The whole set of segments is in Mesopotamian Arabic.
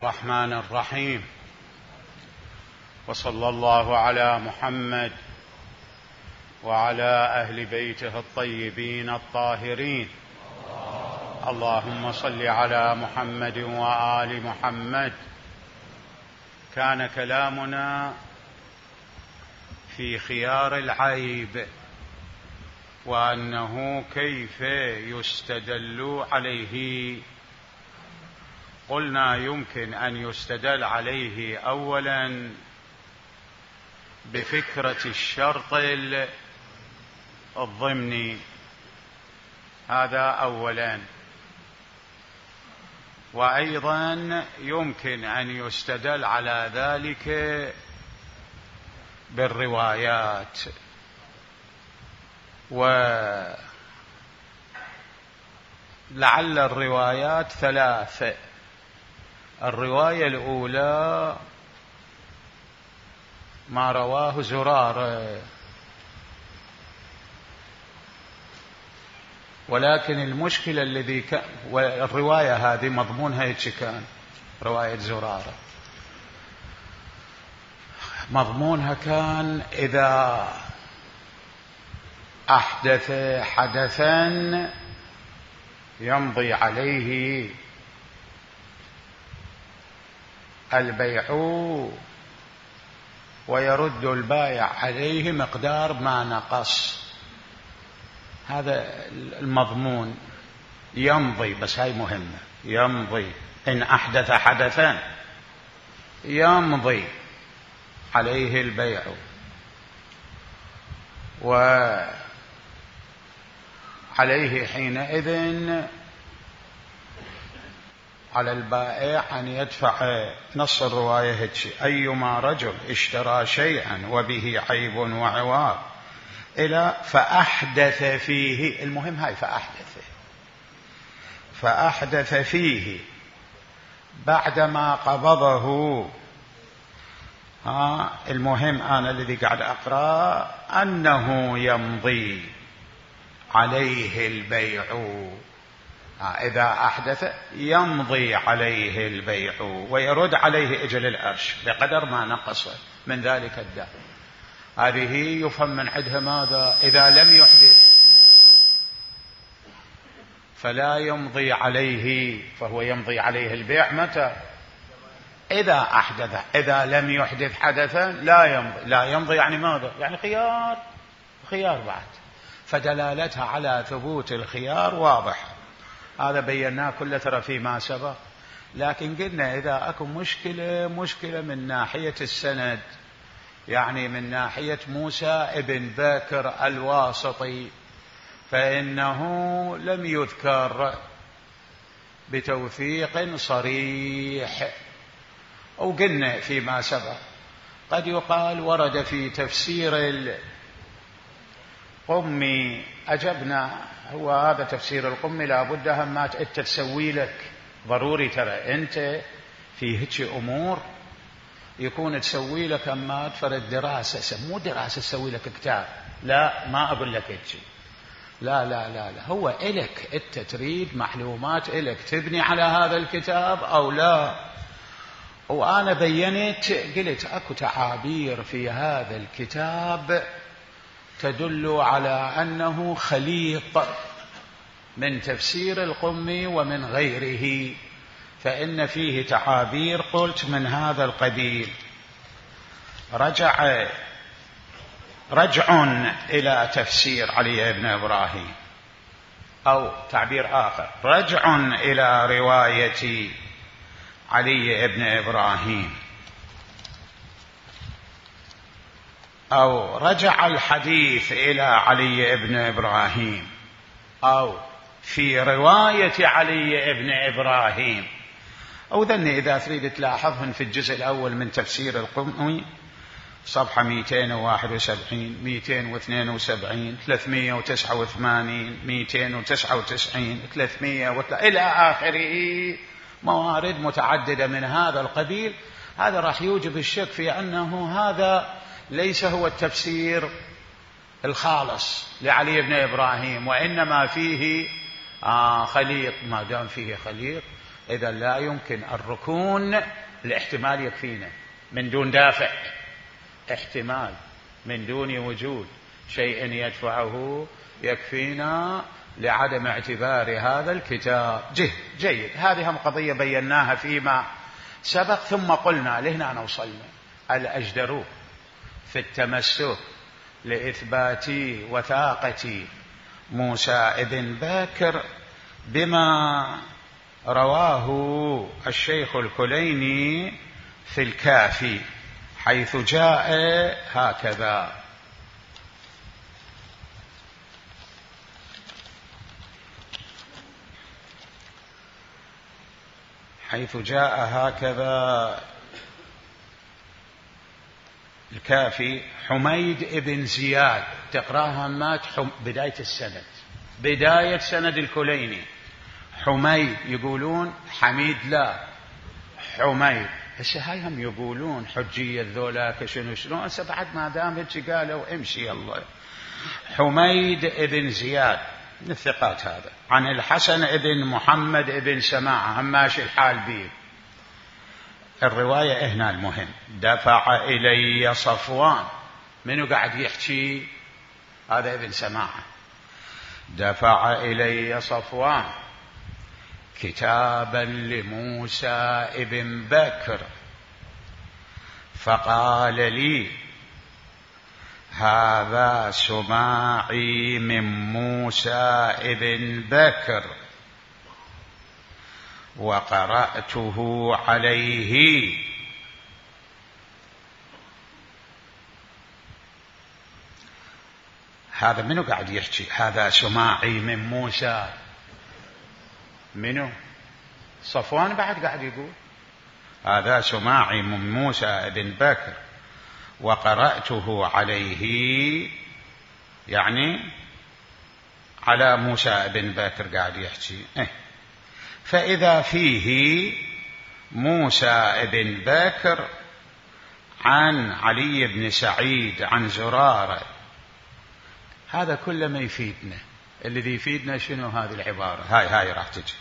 الرحمن الرحيم، وصلى الله على محمد وعلى أهل بيته الطيبين الطاهرين. اللهم صل على محمد وآل محمد. كان كلامنا في خيار العيب، وأنه كيف يستدل عليه. قلنا يمكن أن يستدل عليه أولا بفكرة الشرط الضمني، هذا أولا، وأيضا يمكن أن يستدل على ذلك بالروايات. ولعل الروايات ثلاث. الرواية الأولى ما رواه زرارة، ولكن المشكلة والرواية هذه مضمونها هيك كان، رواية زرارة مضمونها كان إذا أحدث حدثا يمضي عليه البيع ويرد البائع عليه مقدار ما نقص. هذا المضمون يمضي، بس هاي مهمة، يمضي إن أحدث حدثا يمضي عليه البيع، وعليه حينئذ على البائع أن يدفع. نص الرواية هيك: أيما رجل اشترى شيئا وبه عيب وعوار إلى فأحدث فيه، المهم هاي فأحدث فيه بعدما قبضه. المهم أنا الذي قاعد أقرأ أنه يمضي عليه البيع. إذا أحدث يمضي عليه البيع ويرد عليه أجل الأرش بقدر ما نقص من ذلك الدم. هذه يفهم من عندها ماذا؟ إذا لم يحدث فلا يمضي عليه، فهو يمضي عليه البيع متى؟ إذا أحدث. إذا لم يحدث حدثا لا يمضي يعني ماذا؟ يعني خيار بعد. فدلالتها على ثبوت الخيار واضح، هذا بيناه كله ترى فيما سبق. لكن قلنا إذا أكو مشكلة من ناحية السند، يعني من ناحية موسى ابن بكر الواسطي، فإنه لم يذكر بتوثيق صريح. أو قلنا فيما سبق قد يقال ورد في تفسير القمي، أجبنا هو هذا تفسير القمي لابد همات أنت تسوي لك، ضروري ترى أنت في هيك أمور يكون تسوي لك همات فرد دراسة، مو دراسة تسوي لك كتاب، لا ما أقول لك هيك، لا هو إلك أنت تريد معلومات إلك تبني على هذا الكتاب أو لا. وأنا بينت قلت أكو تعابير في هذا الكتاب تدل على أنه خليط من تفسير القمي ومن غيره، فإن فيه تعابير قلت من هذا القبيل. رجع إلى تفسير علي بن إبراهيم، أو تعبير آخر رجع إلى رواية علي بن إبراهيم، أو رجع الحديث إلى علي بن إبراهيم، أو في رواية علي بن إبراهيم. أو ذني إذا تريد تلاحظهن في الجزء الأول من تفسير القمي صفحة 271 272 389 299 300 إلى آخره، موارد متعددة من هذا القبيل. هذا راح يوجب الشك في أنه هذا ليس هو التفسير الخالص لعلي بن إبراهيم، وإنما فيه خليط. ما دام فيه خليط إذا لا يمكن الركون الاحتمال يكفينا من دون دافع، احتمال من دون وجود شيء يدفعه يكفينا لعدم اعتبار هذا الكتاب. جيد. هذه هم قضية بيناها فيما سبق. ثم قلنا لهنا وصلنا الأجدر في التمسك لإثبات وثاقة موسى ابن بكر بما رواه الشيخ الكليني في الكافي، حيث جاء هكذا: الكافي حميد ابن زياد، تقراها مات بداية سند الكليني. حميد يقولون حميد لا حميد، هسه هاي هم يقولون حجية ذولاك شنو هسه بعد ما دام هيك قالوا امشي الله. حميد ابن زياد من الثقات هذا، عن الحسن ابن محمد ابن سماعة، هم ماشي الحال بيه. الرواية هنا المهم: دفع إلي صفوان. منو قاعد يحكي؟ هذا ابن سماعة. دفع إلي صفوان كتابا لموسى ابن بكر فقال لي: هذا سماعي من موسى ابن بكر وقرأته عليه. هذا منو قاعد يحكي؟ هذا سماعي من موسى. منو؟ صفوان بعد قاعد يقول هذا سماعي من موسى ابن بكر وقرأته عليه، يعني على موسى ابن بكر قاعد يحكي. فإذا فيه موسى ابن بكر عن علي بن سعيد عن زرارة، هذا كله ما يفيدنا. الذي يفيدنا شنو؟ هذه العبارة هاي راح تجي: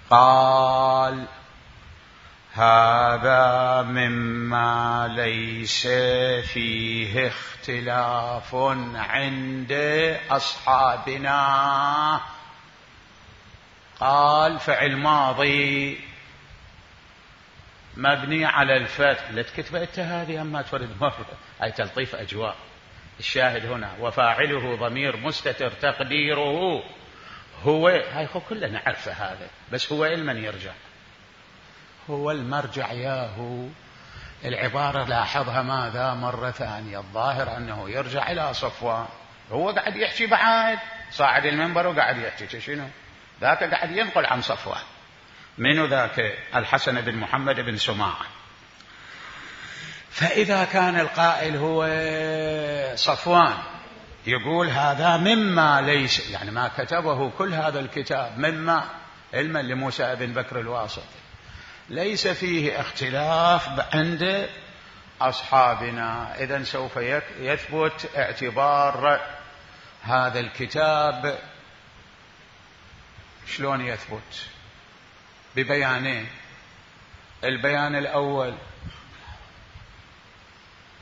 قال هذا مما ليس فيه اختلاف عند أصحابنا. قال فعل ماضي مبني على الفتح. لا تكتب انت هذه اما تفرد مرة، هاي تلطيف اجواء. الشاهد هنا وفاعله ضمير مستتر تقديره هو. هاي كلنا نعرفه هذا، بس هو لمن يرجع؟ هو المرجع ياهو. العبارة لاحظها ماذا مرة ثانية؟ الظاهر أنه يرجع إلى صفوان. هو قاعد يحكي بعد صاعد المنبر وقاعد يحكي شنو؟ ذاك قاعد ينقل عن صفوان. منو ذاك؟ الحسن بن محمد بن سماعة. فإذا كان القائل هو صفوان يقول هذا مما ليس، يعني ما كتبه كل هذا الكتاب مما علما لموسى بن بكر الواسط ليس فيه اختلاف عند أصحابنا، إذن سوف يثبت اعتبار هذا الكتاب. شلون يثبت؟ ببيانين: البيان الأول،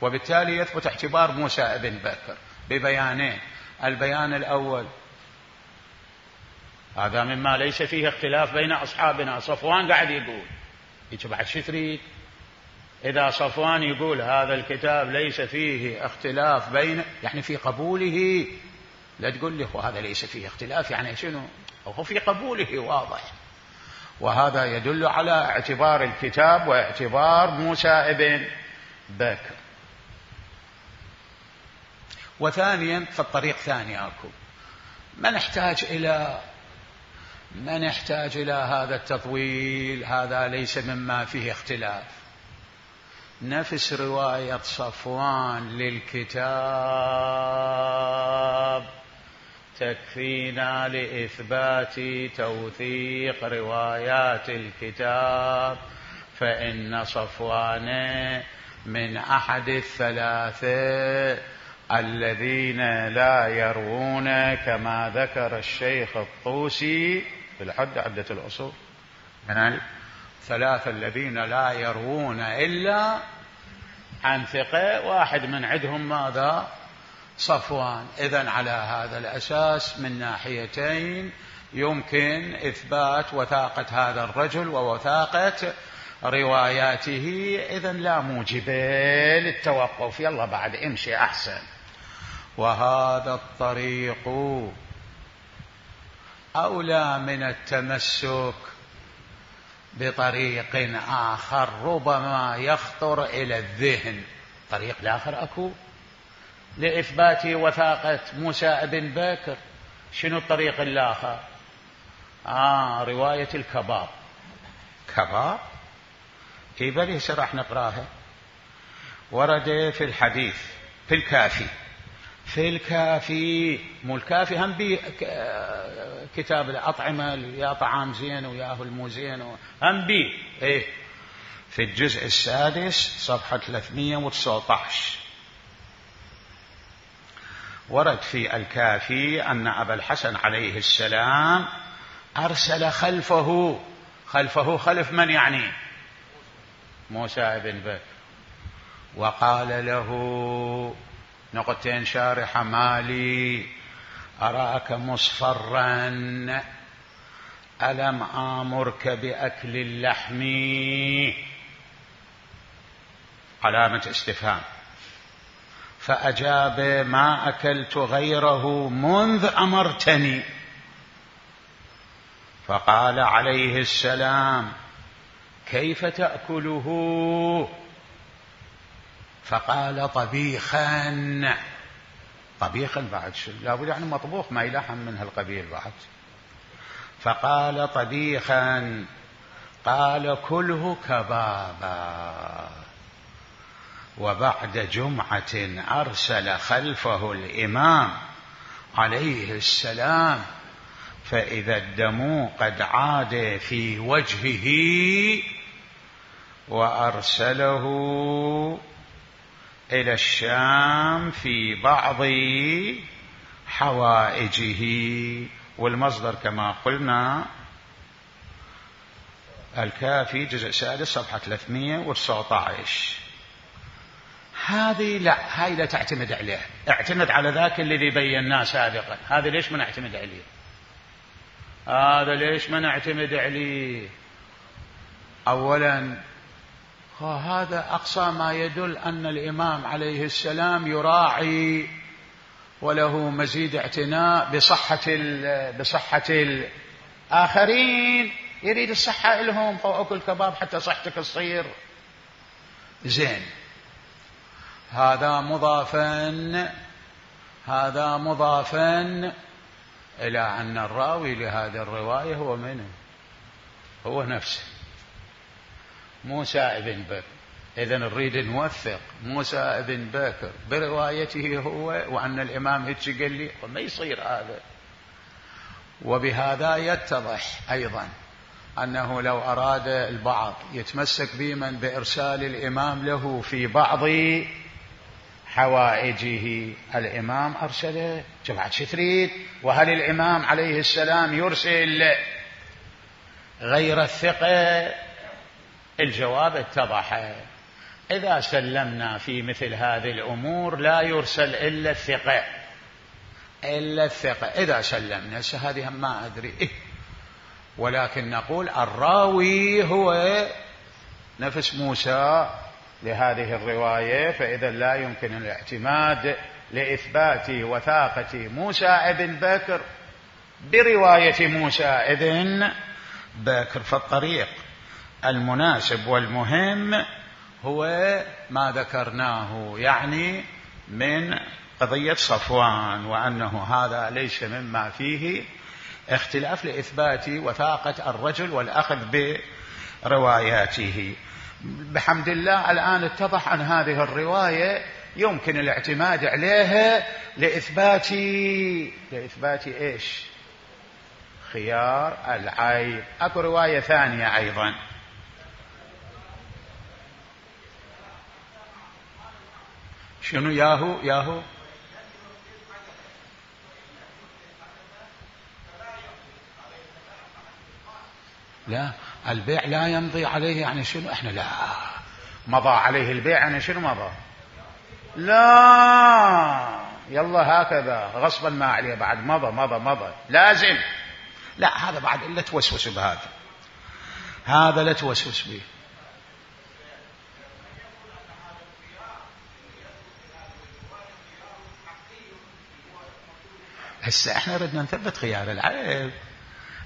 وبالتالي يثبت اعتبار موسى ابن بكر ببيانين. البيان الأول: هذا مما ليس فيه اختلاف بين أصحابنا. صفوان قاعد يقول إيش بعد شو تريد؟ إذا صفوان يقول هذا الكتاب ليس فيه اختلاف بين، يعني في قبوله. لا تقول لي هذا ليس فيه اختلاف يعني شنو؟ هو في قبوله واضح. وهذا يدل على اعتبار الكتاب واعتبار موسى ابن بكر. وثانيا فالطريق ثاني أكو، ما نحتاج إلى هذا التطويل. هذا ليس مما فيه اختلاف. نفس رواية صفوان للكتاب تكفينا لإثبات توثيق روايات الكتاب، فإن صفوان من أحد الثلاثة الذين لا يروون، كما ذكر الشيخ الطوسي في الحد عدة الأصول. من الثلاثة الذين لا يروون إلا عن ثقة، واحد من عندهم ماذا؟ صفوان. إذن على هذا الأساس من ناحيتين يمكن إثبات وثاقة هذا الرجل ووثاقة رواياته، إذن لا موجب للتوقف، يلا بعد امشي أحسن. وهذا الطريق أولى من التمسك بطريق آخر ربما يخطر إلى الذهن. طريق الآخر أكو لإثبات وثاقة موسى بن بكر. شنو الطريق الآخر؟ رواية الكباب. كباب كيف ليس راح نقراها؟ ورد في الحديث في الكافي، في الكافي مو الكافي هم بي كتاب الأطعمة، يا طعام زين وياه المو زين هم بي في الجزء السادس صفحة 319 ورد في الكافي أن أبا الحسن عليه السلام أرسل خلفه خلف من يعني؟ موسى بن بكر، وقال له نقطتين شارحة: مالي أراك مصفرا، ألم آمرك بأكل اللحم؟ علامة استفهام. فأجاب: ما أكلت غيره منذ أمرتني. فقال عليه السلام: كيف تأكله؟ فقال: طبيخا. طبيخا بعد شو؟ لابد يعني مطبوخ ما يلحم من هالقبيل بعد. فقال: طبيخا. قال: كله كبابا. وبعد جمعة أرسل خلفه الإمام عليه السلام، فإذا الدم قد عاد في وجهه، وأرسله إلى الشام في بعض حوائجه. والمصدر كما قلنا الكافي جزء سادس صفحة 319. هذه لا، هاي لا تعتمد عليها، اعتمد على ذاك الذي بيناه سابقا. هذا ليش ما نعتمد عليه؟ هذا ليش ما نعتمد عليه؟ أولا هذا أقصى ما يدل أن الإمام عليه السلام يراعي وله مزيد اعتناء بصحة الآخرين، يريد الصحة لهم، فأكل كباب حتى صحتك تصير زين. هذا مضافا إلى أن الراوي لهذه الرواية هو منه؟ هو نفسه موسى بن بكر. إذن نريد نوثق موسى بن بكر بروايته هو، وأن الإمام هيك قال لي، وما يصير هذا. وبهذا يتضح أيضا أنه لو أراد البعض يتمسك بمن بإرسال الإمام له في بعض حوائجه، الإمام أرسله جماعة شتريد. وهل الإمام عليه السلام يرسل غير الثقة؟ الجواب اتضح. إذا سلمنا في مثل هذه الأمور لا يرسل إلا الثقة. إذا سلمنا هذه ما أدري ولكن نقول الراوي هو نفس موسى لهذه الرواية، فإذا لا يمكن الاعتماد لإثبات وثاقة موسى بن بكر برواية موسى بن بكر. فالطريق المناسب والمهم هو ما ذكرناه، يعني من قضية صفوان، وأنه هذا ليس مما فيه اختلاف لإثبات وثاقة الرجل والأخذ برواياته. بحمد الله الآن اتضح أن هذه الرواية يمكن الاعتماد عليها لإثبات إيش؟ خيار العيب. أكو رواية ثانية أيضا شنو ياهو لا، البيع لا يمضي عليه يعني شنو؟ احنا لا، مضى عليه البيع يعني شنو مضى؟ لا، يلا هكذا غصبا ما عليه بعد مضى لازم. لا، هذا بعد إلا توسوس بهذا، هذا لا توسوس به. هسه احنا ردنا نثبت خيار العيب،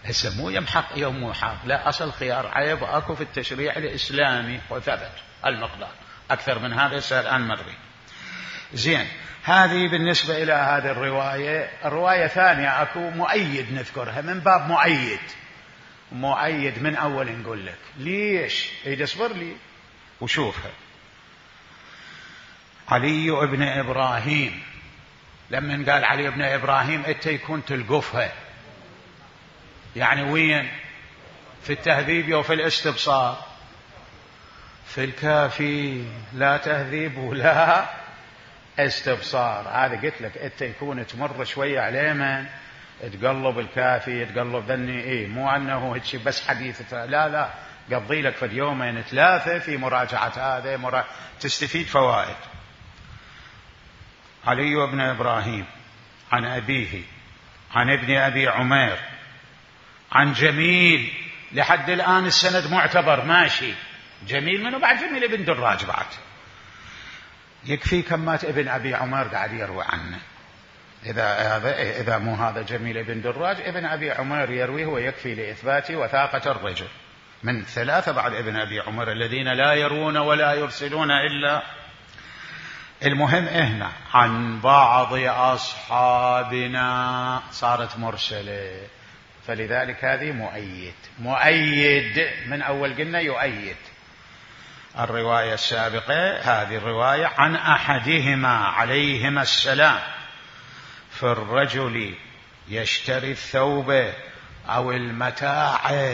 هسه مو يمحق يوم مو حق، لا، أصل خيار عيب أكو في التشريع الإسلامي وثبت المقدار. أكثر من هذا هسه الآن مري. زين، هذه بالنسبة إلى هذه الرواية. الرواية ثانية أكو مؤيد نذكرها من باب مؤيد من أول نقول لك ليش. اصبر لي وشوفها. علي بن إبراهيم، لما قال علي بن إبراهيم أنت يكون تلقفها، يعني وين؟ في التهذيب وفي الاستبصار. في الكافي لا تهذيب ولا استبصار. هذا قلت لك أنت يكون تمر شوية عليه من تقلب الكافي تقلب ذني، مو أنه هيك بس حديث، لا، قضي لك في يومين 3 في مراجعة هذا تستفيد فوائد. علي بن إبراهيم عن أبيه عن ابن أبي عمير عن جميل، لحد الآن السند معتبر ماشي. جميل منه بعد؟ جميل ابن دراج بعد. يكفي كمات ابن أبي عمير قاعد يروي عنه. إذا مو هذا جميل ابن دراج، ابن أبي عمير يرويه ويكفي لإثبات وثاقة الرجل. من 3 بعد ابن أبي عمير الذين لا يروون ولا يرسلون إلا. المهم هنا عن بعض أصحابنا صارت مرسلة، فلذلك هذه مؤيد من أول قلنا يؤيد. الرواية السابقة هذه الرواية عن أحدهما عليهما السلام في الرجل يشتري الثوب أو المتاع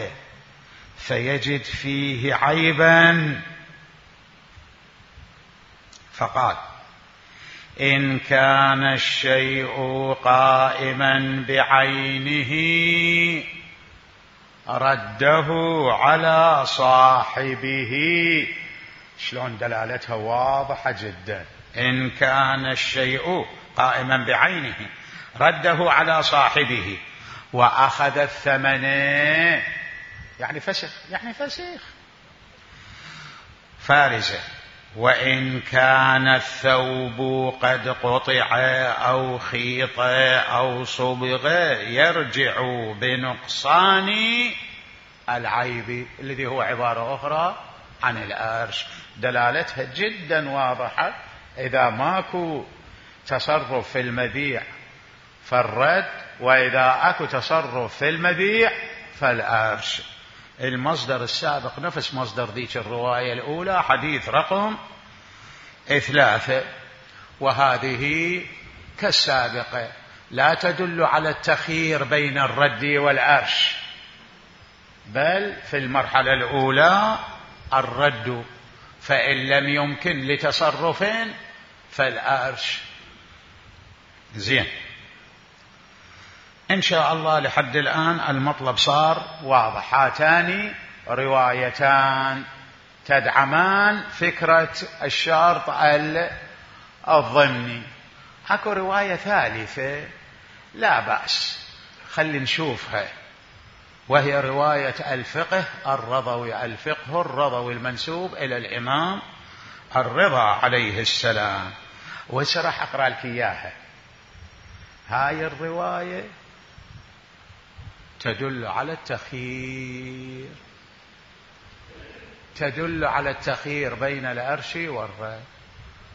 فيجد فيه عيبا، فقال إن كان الشيء قائما بعينه رده على صاحبه. شلون دلالتها واضحة جدا. إن كان الشيء قائما بعينه رده على صاحبه وأخذ الثمن، يعني فسخ فارزة. وإن كان الثوب قد قطع أو خيط أو صبغ يرجع بنقصان العيب، الذي هو عبارة أخرى عن الأرش. دلالتها جدا واضحة. إذا ماكو تصرف في المبيع فالرد، وإذا أكو تصرف في المبيع فالأرش. المصدر السابق نفس مصدر ذيك الرواية الأولى، حديث رقم 3، وهذه كالسابقة لا تدل على التخيير بين الرد والأرش، بل في المرحلة الأولى الرد، فإن لم يمكن لتصرف فالأرش. زين، إن شاء الله لحد الآن المطلب صار واضح. هاتان روايتان تدعمان فكرة الشرط الضمني. أكو رواية ثالثة لا بأس، خلي نشوفها، وهي رواية الفقه الرضوي، الفقه الرضوي المنسوب إلى الإمام الرضا عليه السلام. وسرح أقرأ لك إياها. هاي الرواية تدل على التخيير بين الأرش والرد.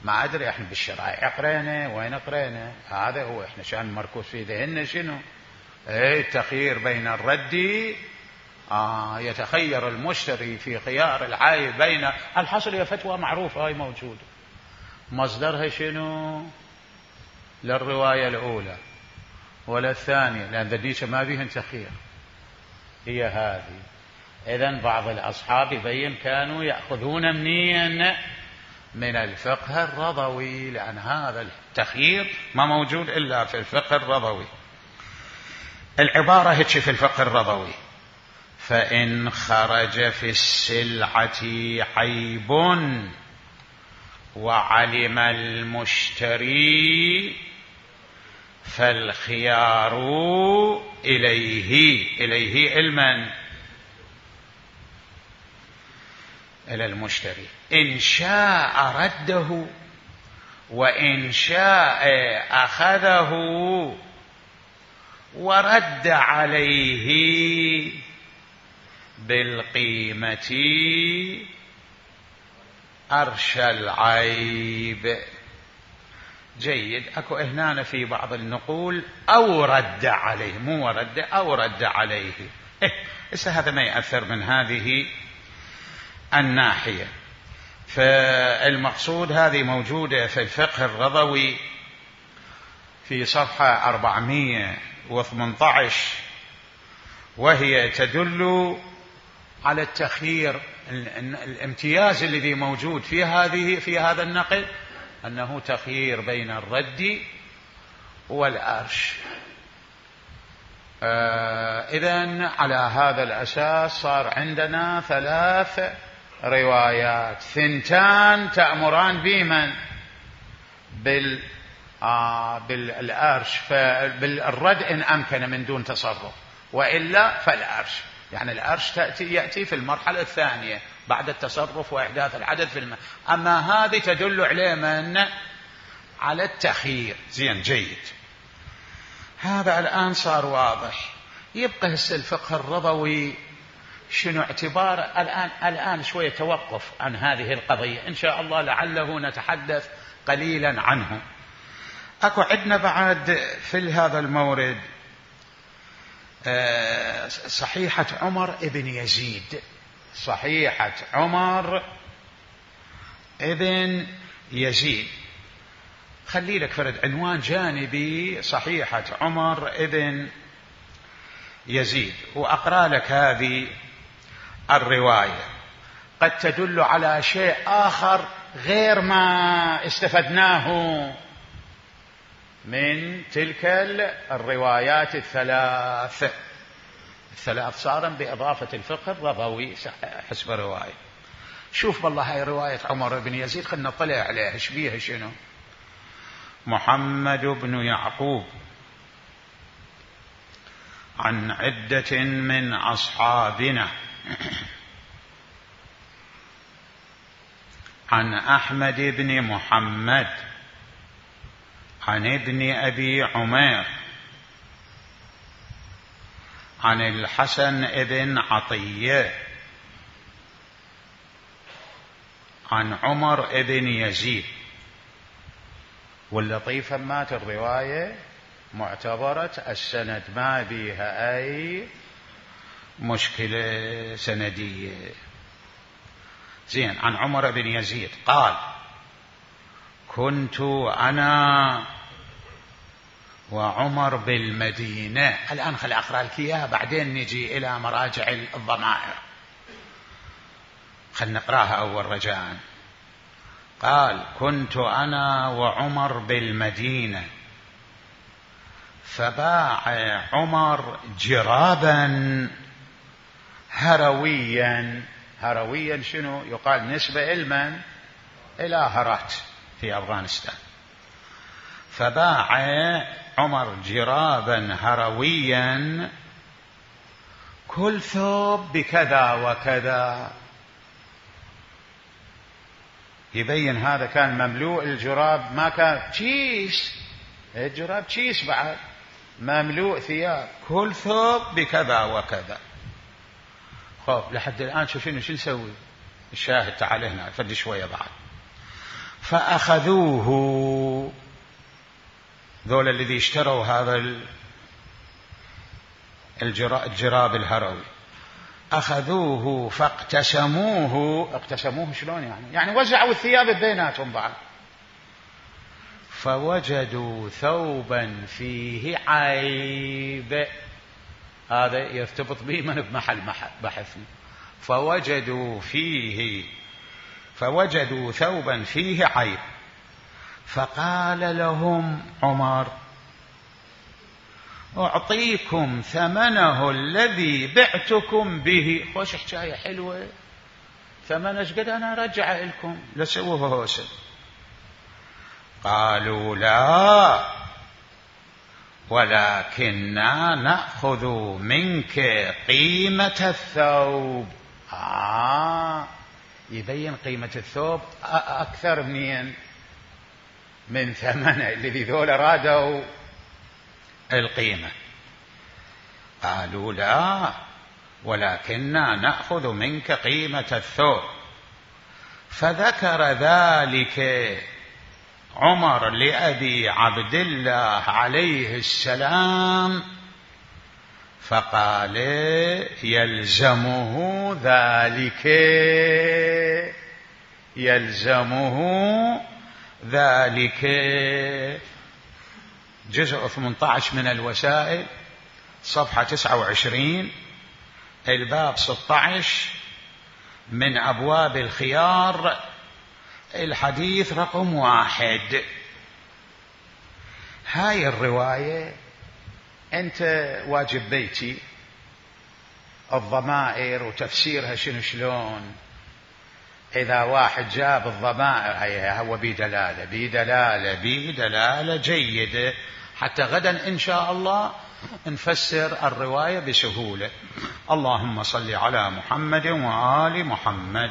ما أدري إحنا بالشرائع قرينا وين قرينا، هذا هو إحنا شان مركوز في ذهننا شنو؟ التخيير بين الرد، يتخير المشتري في خيار العائب بين الحصل. هي فتوى معروفة هاي موجودة. مصدرها شنو؟ للرواية الأولى ولا الثانية، لأن ذلك ما بيهن تخير، هي هذه. إذن بعض الأصحاب يبين كانوا يأخذون منين؟ من الفقه الرضوي، لأن هذا التخيير ما موجود إلا في الفقه الرضوي. العبارة هيك في الفقه الرضوي: فإن خرج في السلعة عيب وعلم المشتري فالخيار إليه علما إلى المشتري، إن شاء رده وإن شاء أخذه ورد عليه بالقيمة أرشى العيب. جيد. أكو هنا في بعض النقول أو رد عليه، مو ورد، أو رد عليه. هذا ما يأثر من هذه الناحية. فالمقصود هذه موجودة في الفقه الرضوي في صفحة 418، وهي تدل على التخيير. الامتياز الذي موجود في هذا النقل أنه تخيير بين الرد والأرش. إذن على هذا الأساس صار عندنا 3 روايات، 2 تأمران بمن؟ بالأرش، بالرد إن أمكن من دون تصرف، وإلا فالأرش. يعني الأرش يأتي في المرحلة الثانية بعد التصرف وإحداث العدد في الماء. أما هذه تدل عليه من؟ على التخيير. زين، جيد. هذا الآن صار واضح. يبقى هسه الفقه الرضوي شنو اعتبار؟ الآن شوية توقف عن هذه القضية، إن شاء الله لعله نتحدث قليلا عنه. أكو عندنا بعد في هذا المورد صحيحة عمر ابن يزيد. صحيحة عمر ابن يزيد، خلي لك فرد عنوان جانبي، صحيحة عمر ابن يزيد، وأقرأ لك هذه الرواية قد تدل على شيء آخر غير ما استفدناه من تلك الروايات الثلاث صارا بإضافة الفقه الرضوي حسب الرواية. شوف والله هاي رواية عمر بن يزيد، خلنا نطلع عليها ايش بيها شنو. محمد بن يعقوب عن عدة من أصحابنا عن أحمد بن محمد عن ابن أبي عمير عن الحسن بن عطية عن عمر بن يزيد. واللطيفة مات الرواية معتبرة السند ما بيها أي مشكلة سندية. زين. عن عمر بن يزيد قال: كنت أنا وعمر بالمدينة. الآن خل أقرأ لك إياها بعدين نجي إلى مراجع الضمائر. خل نقرأها أول رجاء. قال: كنت أنا وعمر بالمدينة فباع عمر جرابا هرويا. هرويا شنو؟ يقال نسبة إلمن؟ إلى هرات في أفغانستان. فباع عمر جرابا هرويا كل ثوب بكذا وكذا. يبين هذا كان مملوء الجراب، ما كان تشيس، الجراب تشيس بعد، مملوء ثياب، كل ثوب بكذا وكذا. خوف لحد الآن شو نسوي؟ الشاهد تعال هنا فد شوية بعد. فأخذوه، ذول الذي اشتروا هذا الجراب الهروي، أخذوه فاقتسموه. اقتسموه شلون يعني وزعوا الثياب بيناتهم بعض. فوجدوا ثوبا فيه عيب. هذا يرتبط به من بمحل بحثنا. فوجدوا ثوبا فيه عيب. فقال لهم عمر: أعطيكم ثمنه الذي بعتكم به. خوش حكاية حلوة، ثمنه ايش قد أنا أرجعه لكم، لا سووه هوسه. قالوا لا ولكننا نأخذ منك قيمة الثوب. يبين قيمة الثوب أكثر من ثمنه، الذي ذول رادوا القيمة. قالوا لا ولكننا نأخذ منك قيمة الثوب. فذكر ذلك عمر لأبي عبد الله عليه السلام فقال يلزمه ذلك. جزء 18 من الوسائل، صفحة 29، الباب 16 من أبواب الخيار، الحديث رقم 1. هاي الرواية أنت واجب بيتي الضمائر وتفسيرها شلون. إذا واحد جاب الضمائر هي هو بدلالة جيدة، حتى غدا إن شاء الله نفسر الرواية بسهولة. اللهم صل على محمد وآل محمد.